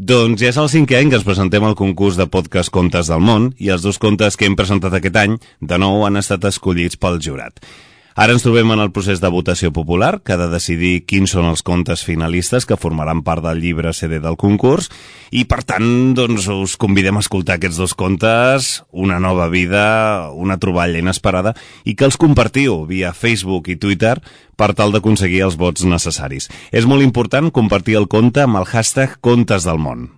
Doncs ja és el 5è any que ens presentem al concurs de podcast Contes del Món i els 2 contes que hem presentat aquest any de nou han estat escollits pel jurat. Ara ens trobem en el procés de votació popular, que ha de decidir quins són els contes finalistes que formaran part del llibre CD del concurs i, per tant, doncs, us convidem a escoltar aquests 2 contes, una nova vida, una troballa inesperada, i que els compartiu via Facebook i Twitter per tal d'aconseguir els vots necessaris. És molt important compartir el conte amb el hashtag Contes del Món.